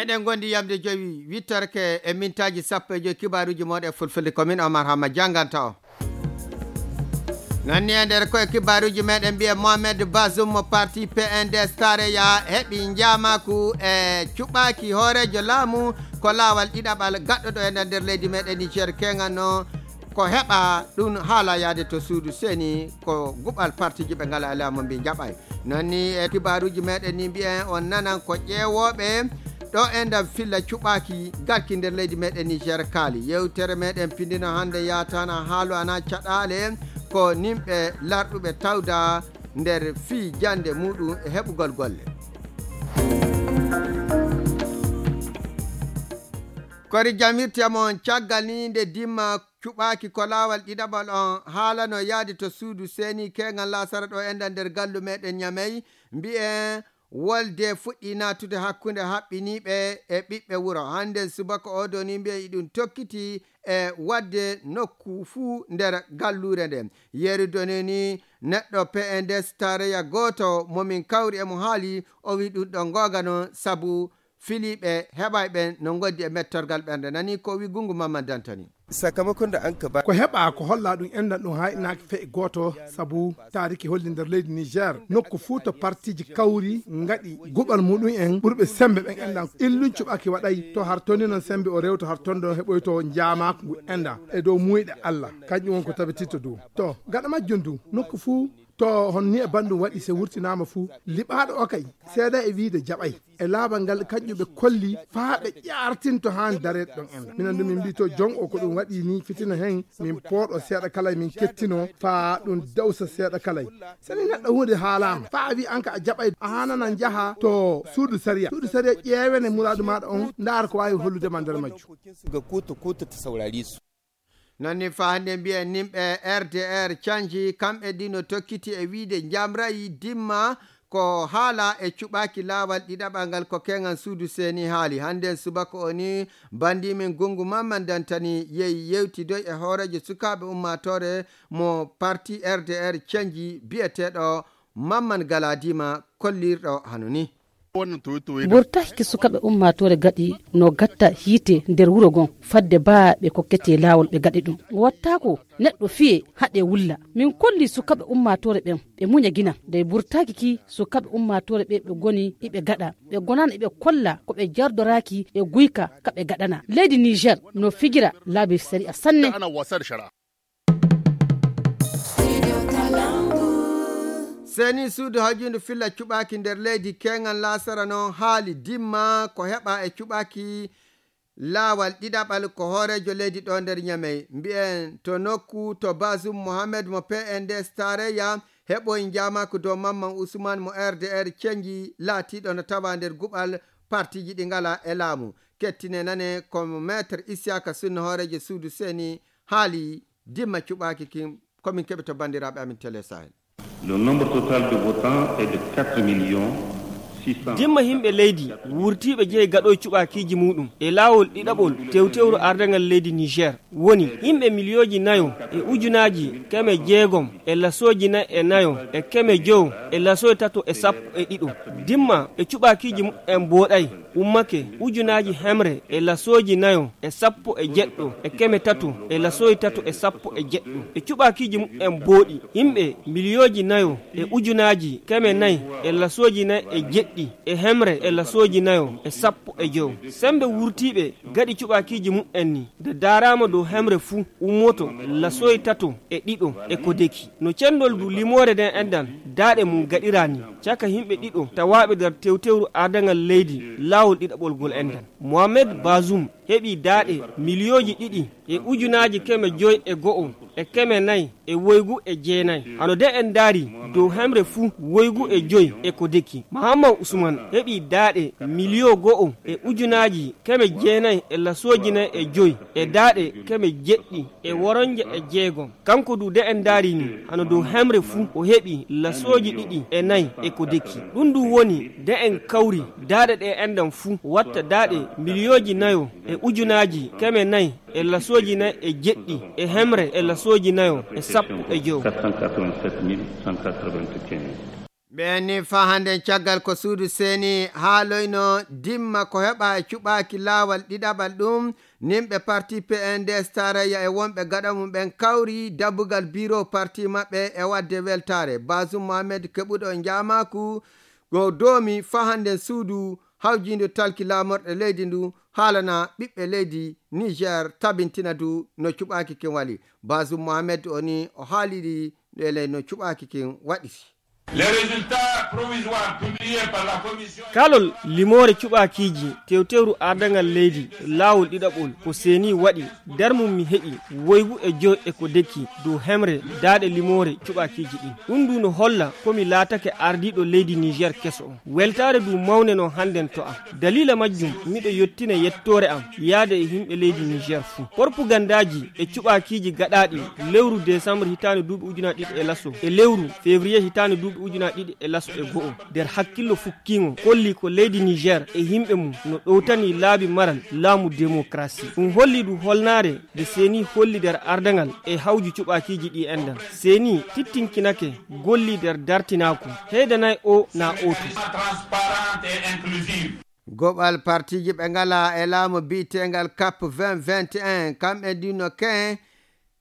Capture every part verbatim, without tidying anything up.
Eɗen ngondi yamde jowi wittorke e mintaaji sappo e joy kibaaruuji mooɗon e fulfulde. Ko min Omar Hamma jannganta o. Nanni e nder koye kibaaruuji meɗen mbiye Mohamed Bazoum mo parti P N D S Tareya heɓi njaamaaku e cuɓaaki hooreejo laamu ko laawal ɗiɗaɓal gaɗɗoɗo e nder leydi meɗen Niger keŋanno ko heɓa ɗum haala yaade to suudu seni ko guɓal partiji ɓe ngala e laamu mbi jaɓay. Nanni e kibaaruuji meɗen ni mbiyen on nanan ko ƴeewooɓe ɗo e nder filla cuɓaaki garki nder leydi meɗen Niger kaali. Yewtere meɗen pindino hannde yaatana haalu ana caɗaale ko nimɓe larɗuɓe tawda nder fii jannde muɗum e heɓugol golle. Kori jamirte mon caggal ni nde dimma cuɓaaki ko laawal ɗiɗaɓal on haalano yaade to suudu seeni keeŋal laasara ɗo enɗan nder gallu meɗen Ñamey, mbi'en wolde fuɗɗi naatude hakkunde haɓɓiniiɓe e ɓiɓɓe wuro. Hannden subaka oo doni mbi'en iɗum tokkiti e waɗde nokku fuu nder galluure nden. Yeru doni ni neɗɗo P N D S tareya gooto mo min kawri e mo haali, o wi ɗum ɗon goonga non sabu filiiɓe heɓay ɓen no ngondi e mettorgal ɓernde. Nani ko wi Gungu Mamman Dantani. Sakamakon da an ka ba. Ko heɓa ko holla ɗum enɗan ɗum haaynaaki fe'i gooto sabu taariki holli nder leydi Niger nokku fuu to partiji kawri ngaɗi guɓal muɗum en ɓurɓe sembe ɓen enɗan illun cuɓaki waɗay to har toni non sembe o rewto har tondo heɓoyto njaamaku ngu enɗan e dow muyɗe Allah kanƴum won ko tabititto dow to gaɗa majjum du nokku fuu to hon ni e banndum waɗi se wurtinaama fuu liɓaaɗo o kay seeɗa e wiide jaɓay e laaɓal ngal kanƴum ɓe kolli faa ɓe ƴaartinto haa dareede ɗon enɗan minen du min mbii to jon o ko ɗum waɗi ni fitina heen min pooɗo seeɗa kala min kettino faa ɗum dawsa seeɗa kala sani neɗɗo huunde haalaama faa a wii an ka a jaɓay a haanana njaha to suudu sariya suudu sariya ƴeewene muraadu maaɗa on ndaara ko waawi hollude ma nder majjum. Ga kuuto kuuto ta saurari su. Nani fa hannde mbiyen nimɓe R D R canji kamɓe ndi no tokkiti e wiide njamrayi dimma ko haala e cuɓaaki laawal ɗiɗaɓal ngal ko keŋan suudu seeni haali hannden subaka o ni banndi min Gungu Mamman Dantani yehi yewtidoy e hooreejo sukaaɓe ummaatoore mo parti R D R canji biyeteeɗo Mamman Galadima kollirɗo hano ni. Burtaki ki sukaɓe ummatore gaɗi no gatta hiite nder wuro gon fadde ba ɓe kokkete lawol ɓe gaɗi ɗum wattako neɗɗo fiye haɗe wulla min kolli sukaɓe ummatore ɓen ɓe muña gina dey burtaki ki sukaɓe ummatore ɓe ɓe goni iɓe gaɗa ɓe gonan iɓe kolla ko ɓe jardoraki e guyka ka ɓe gaɗana leydi Niger no figira laabi sari'a sanne. Seni suudu hajundu filla cuɓaaki nder leydi keŋal laasara non haali dimma ko heɓa e cuɓaaki laawal ɗiɗaɓal ko hooreejo leydi ɗo nder Ñamey mbi'en to nokku to Bazum Mohamed mo P N D S tareya heɓoyi njaamaaku dow Mamman Usman mo R D R cenji laatiiɗo no tawa nder guɓal partiji ɗi ngala e laamu kettine nane ko maître Isiyaka Sunna hooreejo suudu seni haali dimma cuɓaaki kin komin keɓe to banndiraaɓe amin télé sahel. Le nombre total de votants est de quatre millions six cents. Dimma yimɓe leydi wurtiiɓe jeyi gaɗo cuɓaakiiji muɗum e laawol ɗiɗaɓol tewtewru ardangal leydi Niger woni yimɓe miliyooji nayo e ujunaaji keme jeegom e lasooji nayi e nayo e keme jowo e lasooji tato e sappo e ɗiɗo. Dimma e cuɓaakiiji muɓɓen mbooɗay ummake ujunaaji hemre e lasooji nayo e sappo e jeɗɗo e keme tato e lasooji tato e sappo e jeɗɗo e cuɓaakiiji muɓɓen mbooɗi yimɓe miliyooji nayo e ujunaaji keme nayi e lasooji nayi e jeɗɗi e hemre e lasooji nayo e sappo e jowo. Sembe wurtiiɓe gaɗi cuɓaakiiji muɓɓen ni nde daaraama dow hemre fuu ummoto lasooji tato e ɗiɗo e ko deki no cenndol du limoore nden enɗan daaɗe mum gaɗiraa ni caka yimɓe ɗiɗo tawaaɓe nder tewtewru ardangal leydi laawol ɗiɗaɓol ngol enɗan. Mohamed Bazum heɓi daaɗe miliyooji ɗiɗi e ujunaaji keme joyi e go'o e keme nayi e woygu e jeenayi hano de en ndaari dow hemre fuu woygu e joyi e ko deki mahamman usman heɓi daaɗe miliyo go'o e ujunaaji keme jeenayi e lasooji nayi e joyi e daaɗe keme jeɗɗi e woronje e jeegom. Kanko du de en ndaari ni hano dow hemre fuu o heɓi lasooji ɗiɗi e nayi e ko deki ɗum du woni de en kawri daaɗe ɗe enɗan fuu watta daaɗe miliyooji nayo e ujunaaji keme nayi e lasooji nayi e jeɗɗi e hemre e lasooji nayo e sappo e jowo. Ɓeen ni faa hannden caggal ko suudu seeni haaloyno dimma ko heɓa e cuɓaaki laawal ɗiɗaɓal ɗum, nimɓe parti P N D S tarayya e wonɓe gaɗa mum ɓen kawri dabugal biro parti maɓɓe e waɗde weltaare. Bazum Mohamed keɓuɗo njaamaaku ko doomi faa hannden suudu hawjiindo talki laamorɗe leydi ndu haalana ɓiɓɓe leydi Niger tabintina du no cuɓaaki kin wali. Bazum Mohamed o ni o haaliri ele no cuɓaaki kin waɗiri. Les résultats provisoires publiés par la commission. Kalol limoore cuɓaakiiji tewtewru ardangal leydi laawol ɗiɗaɓol ko seeni waɗi, nder mum mi heɓi woygu e joy e ko deki dow hemre daaɗe limoore cuɓaakiiji ɗin. Ɗum ndu no holla ko mi laatake ardiiɗo leydi Niger keso on. Weltaare ndu mawne no hannden to am. Daliila majjum, miɗo yottina yettoore am yaade e yimɓe leydi Niger fuu. Porpugandaaji e cuɓaakiiji gaɗaaɗi lewru desambre hitaande duuɓi ujunaaji ɗiɗi e laso e lewru février hitaande duuɓi ujunaaji ɗiɗi e laso e go'o nder hakkillo fukkiingo kolli ko leydi Niger e yimɓe mum no ɗowtani laabi maral laamu demokrasi. Ɗum holli du holnaare nde seeni holli nder ardangal e hawju cuɓaakiiji ɗi enɗan. Seeni tittinkinake golli nder dartinaaku. Heydanay o na oto. Transparente et inclusive. Goɓal partiiji ɓe ngala e laamu bi'eteengal kap vingt vingt et un, kamɓe ndinno ken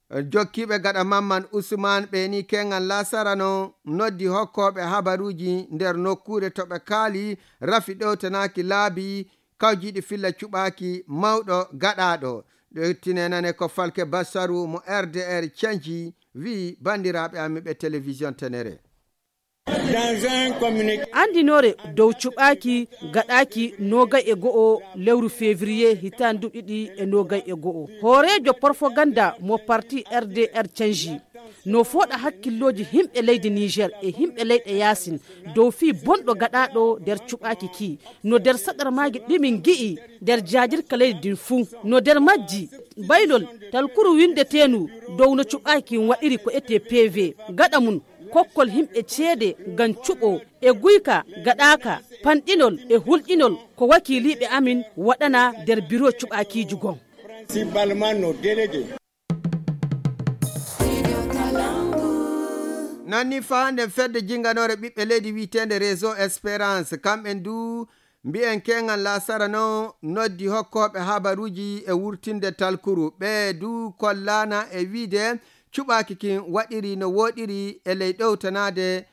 jokkiiɓe gaɗa Mamman Usman ɓe ni kengal lasara no noddi hokkooɓe habaruuji nder nokkuure to ɓe kaali rafi ɗowtanaaki laabi kawjiiɗi filla cuɓaaki mawɗo gaɗaaɗo. Ɗo ittine nane ko Falke Bassaru mo R D R canji wi'i banndiraaɓe amin ɓe télévision Tenere. Andinoore dow cuɓaaki gaɗaaki noogay e go'o lewru février hitaande duuɓi ɗiɗi e noogay e go'o. Hooreejo porfoganda mo parti R D R canji no fooɗa hakkillooji himɓe leydi Niger e himɓe leyɗe yaasin dow fii bonɗo gaɗaaɗo nder cuɓaaki kii no nder saɗar maaji ɗi min ngi'i nder jaajirka leydi ndin fuu. No nder majji baylol talkuru winndeteenu dow no cuɓaaki kin waɗiri ko etee P V. Gaɗa mum kokkol himɓe ceede ngam cuɓoo e guyka gaɗaaka, panɗinol e hulɗinol ko wakiiliiɓe amin waɗana nder biro cuɓaakiiji gon. Principalement nos délégués. Non ni faa hannden fedde jinnganoore ɓiɓɓe leydi wi'eteende Réseau Espérance, kamɓen du mbi'en keŋal laasara non noddi hokkooɓe habaruuji e wurtinde talkuru. Ɓee du kollaana e wi'de cuɓaaki kin waɗiri no wooɗiri e ley ɗowtanaade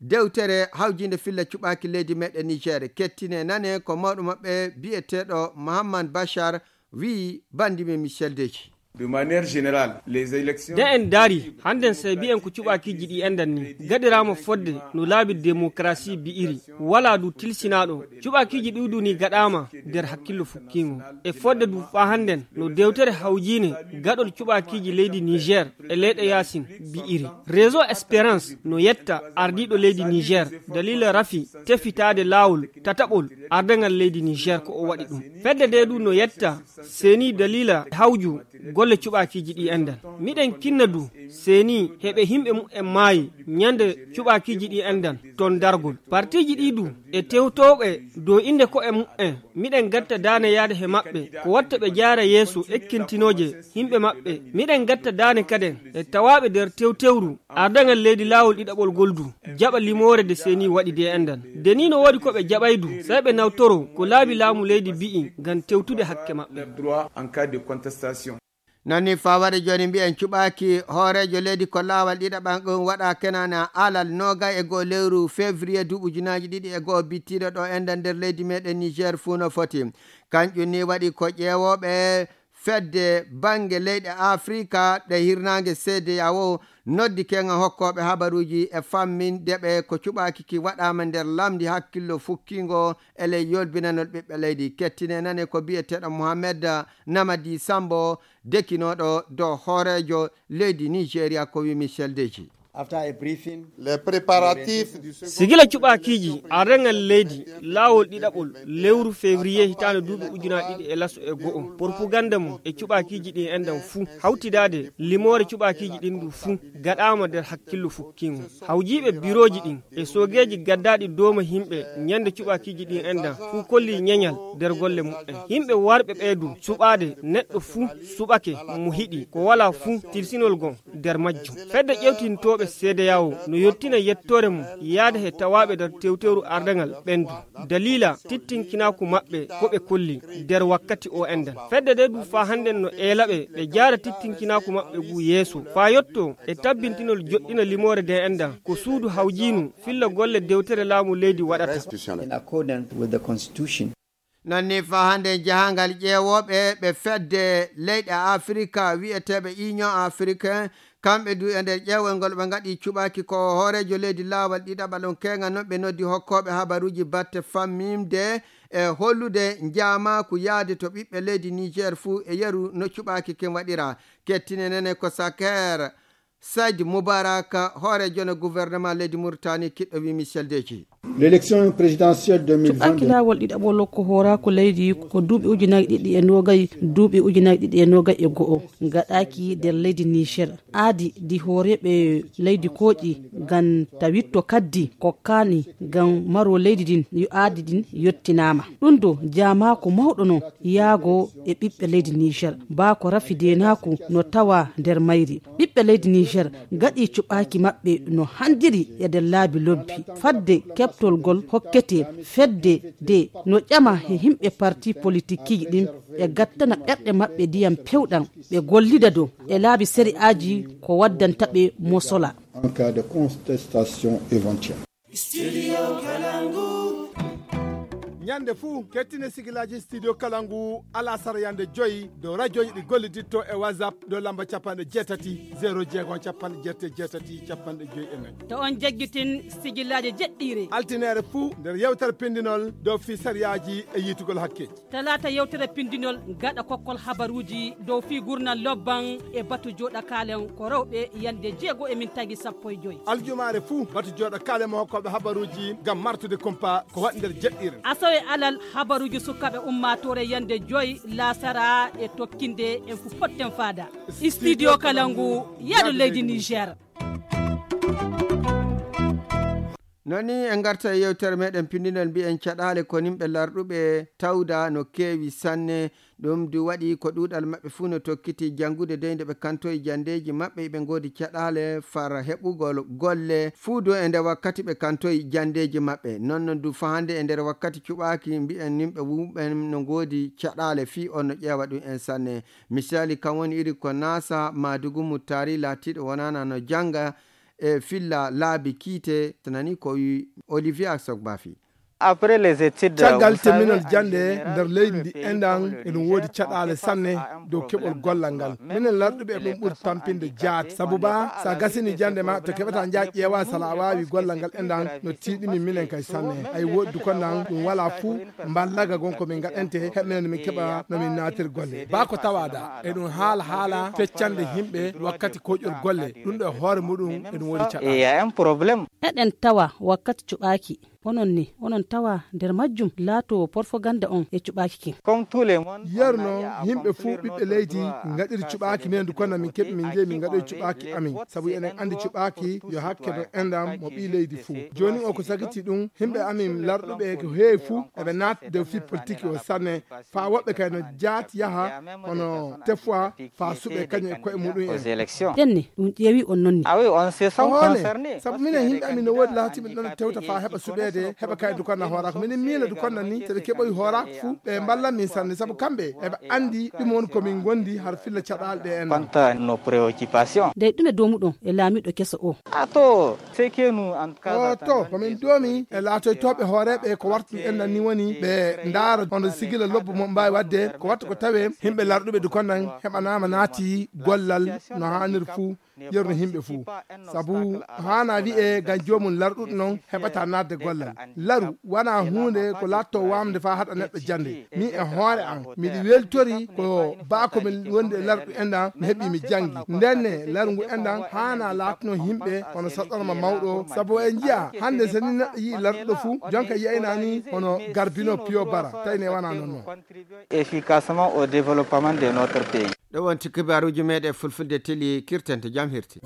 dewtere hawjiinde filla cuɓaaki leydi meɗen Niger. Kettine nane ko mawɗo maɓɓe bi'eteeɗo Mohammad Bachar wi'i banndi men Michel Deji. De manière générale, les élections. Nde en daari, hannden sey mbi'en ko cuɓaakiiji ɗi enɗan ni, gaɗiraama fodde no laabi demokarasi bi'iri, walaa du tilsinaaɗo. Cuɓaakiiji ɗi du ni gaɗaama nder hakkillo fukkiingo. E fodde du faa hannden no dewtere hawjiine gaɗol cuɓaakiiji leydi Niger e leyɗe yaasin bi'iri. Réseau Espérance no yetta ardiiɗo leydi Niger daliila rafi tefitaade laawol tataɓol ardangal leydi Niger ko o waɗi ɗum. Fedde nde du no yetta seeni daliila hawju golle cuɓaakiiji ɗi enɗan. Miɗen kinna du seeni heɓe yimɓe mu'en maayi ñande cuɓaakiiji ɗi enɗan ton dargol. Partiiji ɗi du e tewtooɓe dow innde ko'e mu'en, miɗen gatta daane yaade he maɓɓe ko watta ɓe jaara yeeso ekkintinooje yimɓe maɓɓe. Miɗen gatta daane kaden e tawaaɓe nder tewtewru ardangal leydi laawol ɗiɗaɓol ngol du jaɓa limoore nde seeni waɗi de enɗan. Nde ni no woodi ko ɓe jaɓay du, sey ɓe nawtoro ko laabi laamu leydi bi'i ngam tewtude hakke maɓɓe. Droit en cas de contestation. Non ni faa waɗa jooni mbi'en cuɓaaki hooreejo leydi ko laawol ɗiɗaɓal ɗum waɗa kenan alal noogay e goo lewru février duuɓi ujunaaji ɗiɗi e goo bittiiɗo ɗo enɗan nder leydi meɗen Niger fuu no foti. Kanƴum ni waɗi ko ƴeewooɓe fedde bannge leyɗe Afrika ɗe hirnaange C D A O noddi keŋa hokkooɓe habaruuji e famminde ɓe ko cuɓaaki ki waɗaama nder lamndi hakkillo fukkiingo e ley yolbinanol ɓiɓɓe leydi. Kettine nane ko bi'eteeɗo Mohamed Namadi Sambo, dekinooɗo dow hooreejo leydi Nigeria ko wi Michel Deji. After a briefing, les préparatifs du second. Sigila cuɓaakiiji arengal leydi laawol ɗiɗaɓol lewru février hitaande duuɓi ujunaaji ɗiɗi e laso e go'o. Propaganda mum e cuɓaakiiji ɗi enɗan fuu hawtidaade limoore cuɓaakiiji ɗin du fuu gaɗaama nder hakkillo fukkiingo. Hawjiiɓe birooji ɗin e soogeeji gaddaaɗi dooma yimɓe ñande cuɓaakiiji ɗin enɗan fuu kolli ñeñal nder golle muɓɓen. Yimɓe warɓe ɓee du suɓaade neɗɗo fuu suɓake mo hiɗi ko walaa fuu tilsinol gon nder majjum. Fedde ƴewtintooɓe Seedeyaawo no yottina yettoore mum yaada he tawaaɓe nder tewteeru ardangal ɓendu. Daliila tittinkinaaku maɓɓe ko ɓe kolli nder wakkati o enɗan. Fedde nde du faa hannden no eela ɓe, ɓe jaara tittinkinaaku maɓɓe ngu yeeso. Faa yotto e tabbintinol joɗɗina limoore nde enɗan ko suudu hawjiinu filla golle dewtere laamu leydi waɗata. In accordance with the constitution. Non ni faa hannde jahangal ƴeewooɓe ɓe fedde leyɗe Afrika wi'eteeɓe Union Africain, kamɓe du e nder ƴeewol ngol ɓe ngaɗi cuɓaaki ko hooreejo leydi laawal ɗiɗaɓal on keeŋa non ɓe noddi hokkooɓe habaruuji batte famminde e hollude njaamaaku yaade to ɓiɓɓe leydi Niger fuu e yeru no cuɓaaki kin waɗira. Kettine nene ko Saker Said Mubarak, hooreejo no gouvernement leydi Mauritanie kiɗɗo wi Michel Deji. L'élection présidentielle deux mille vingt-deux. Cuɓaaki laawol ɗiɗaɓol ko hooraako leydi ko duuɓi ujunaaji ɗiɗi e noogay, duuɓi ujunaaji ɗiɗi e noogay e go'o gaɗaaki nder leydi Niger. Aadi di hooreeɓe leydi kooƴi ngam tawitto kaddi ko kaani ngam maro leydi din yo aadi din yottinaama. Ɗum do jaamaako mawɗo non yaago e ɓiɓɓe leydi Niger. Baa ko rafi deenaaku no tawa nder mayri. Ɓiɓɓe leydi Niger gaɗi cuɓaaki maɓɓe no handiri e nder laabi lobbi. Fadde keɓtol ngol hokkete fedde de no ƴama he himɓe parti politikiji ɗin ɓe gattana ɓerɗe maɓɓe ndiyam pewɗam ɓe gollida do e laabi sari'aaji ko waddanta ɓe mosola. En cas de contestation éventuelle. Studio Kalangu. Ñande fuu, kettine sigilaaji Studio Kalangu, alasara yande joyi, dow rajooji ɗi golliditto e WhatsApp, dow lamba capanɗe jeetati, zero jeego, capanɗe jeetati, capanɗe joyi e nayi. To on jaggitin sigilaaji jeɗɗiire. Altineere fuu, nder yewtere pindinol, dow fii sariyaaji e yiitugol hakkeeji. Talaata yewtere pindinol gaɗa kokkol habaruuji dow fii gurnal lobban e batu jooɗa kaalen ko rewɓe yande jeego e mintaaji sappo e joy. Aljumaare fuu batu jooɗa kaalen mo hokkooɓe habaruuji ngam martude kumpa ko waɗi nder jeɗɗiire. Asawe alal habaruuji sukaaɓe ummaatoore yande joy laasara e tokkinde en fu potten faada. Studio Kalangu, yaadu leydi Niger. Noni en ngarta e yewtere meɗen pindinol mbiyen caɗaale ko nimɓe larɗuɓe tawda no keewi sanne. Ɗum du waɗi ko ɗuuɗal maɓɓe fuu no tokkiti janngude dey nde ɓe kantoyi janndeeji maɓɓe, ɓe ngoodi caɗaale fara heɓugol golle fuu du e nde wakkati ɓe kantoyi janndeeji maɓɓe. Non non du fahande e nder wakkati cuɓaaki mbiyen nimɓe wumɓen no ngoodi caɗaale fii on no ƴeewa ɗum en sanne. Misali kan woni iri ko Naasa Maadugu Muttaari laatiiɗo wonana no jannga e filla laabi kiite, tanani ko wi Olivier Asogbafi. Après les études, caggal vous savez, temminol en jannde général, nder leydi ndi enɗan eɗum woodi caɗaale sanne dow keɓol gollal ngal. Minen larɗuɓe eɗum ɓuri tampinde jaati sabu ba sa gasini jannde ma to keɓata njaa ƴeewa sala a waawi gollal ngal enɗan no tiiɗimi minen kay sanne. Ay woodi du konnan ɗum wala fuu mballaga gon ko min ngaɗante heɓ minen no min keɓa no min naatir golle ba ko tawada eɗum haala haala feccande yimɓe wakkati koƴol golle. Ɗum ɗo e hoore muɗum eɗum woodi caɗaale. Eɗen tawa wakkati cuɓaaki. Onon ni, onon tawa nder majjum laato porfoganda on e cuɓaaki kin. Yerno yimɓe fuu ɓiɓɓe leydi ngaɗiri cuɓaaki minen du konna min keɓi min jeyi min ngaɗoyi cuɓaaki amin sabu eɗen anndi cuɓaaki yo hakke no enɗam mo ɓii leydi fuu. Jooni o ko sagiti ɗum yimɓe amin larɗuɓe ko heewi fuu eɓe naat dow fii politiki o sanne. Faa woɓɓe kay no jaati yaha hono tefwa faa suɓe kañum e koye muɗum en. Ɗenne ɗum ƴeewi on nonni. Ohoone, sabu minen yimɓe amin no woodi laatiɓe ɗon tewta faa heɓa suɓeede heɓa kaydu kan na hoora ko minen miila du konnan ni so ɓe keɓoyi hooraako fuu ɓe mballan min sanne sabu kamɓe eɓe anndi ɗum woni ko min ngondi har filla caɗaale ɗe en. Quant à nos préoccupations. Dey ɗume dow muɗum e laamiiɗo keso o. Ato. O to ko min doomi e laatoytooɓe hooreeɓe ko wartude enɗan ni woni ɓe ndaara hono sigila lobbo mo mbaawi waɗde ko watta ko tawee yimɓe larɗuɓe du konnan heɓanaama naati gollal no haaniri fuu. Yerno yimɓe fuu sabu haana wi'e ngam joomum larɗuɗo non heɓata naatde gollal. Laru wona huunde ko laatto waamde faa haɗa neɗɗo jannde. Min e hoore am miɗi weltori ko baa ko mi wondi e larɗu enɗan mi heɓi mi janngi. Ndenne laru ngu enɗan haana laatno yimɓe hono saɗɗorma mawɗo sabu en njiya hannde so ni neɗɗo yi'i larɗuɗo fuu jonka yiyayna ni hono garbino piyo bara tawi ne wona non non. Efficacement au développement de notre pays. Ɗo wonti kibaaruuji meɗen fulfulde teli kirtente jam hirti.